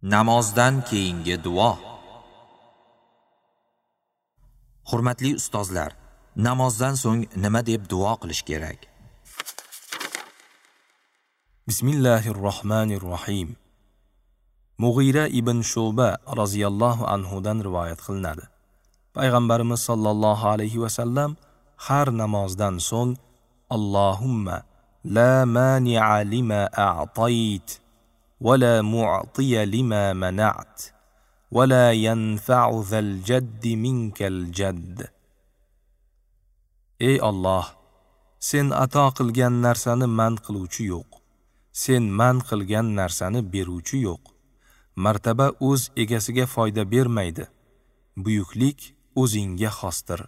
Namozdan keyingi duo. Hurmatli ustozlar, namozdan so'ng nima deb duo qilish kerak? Bismillahirrohmanirrohim. Mug'ira ibn Shu'ba roziyallohu anhu dan rivoyat qilinadi. Payg'ambarimiz sollallohu alayhi va sallam har namozdan so'ng Allohumma la mani'a lima a'tayt va la mu'tiya lima mana'at va la yanfa'u zal jaddi minkal jadd. Ey Alloh, sen ato qilgan narsani man qiluvchi yo'q. Sen man qilgan narsani beruvchi yo'q. Martaba o'z egasiga foyda bermaydi. Buyuklik o'zingga xosdir,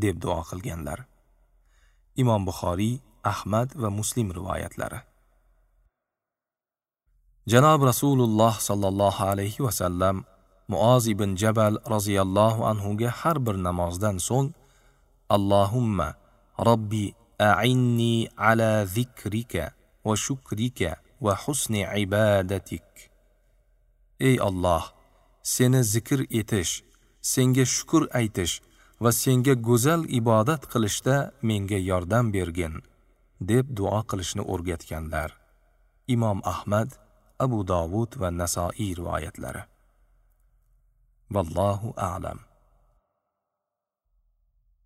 deb duo qilganlar. Imom Buxoriy, Ahmad va Muslim rivoyatlari. Janob Rasululloh sallallohu alayhi va sallam Muoz ibn Jabal roziyallohu anhu ga har bir namozdan so'ng Allohumma robbi a'inni ala zikrika va shukrika va husni ibadatik. Ey Alloh, seni zikr etish, senga shukr aytish va senga go'zal ibodat qilishda menga yordam bergin, deb duo qilishni o'rgatganlar. Imom Ahmad, Abu Dovud va Nasoiy rivoyatlari. Vallohu a'lam.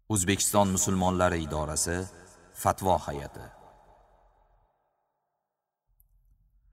O'zbekiston musulmonlari idorasi Fatvo hay'ati.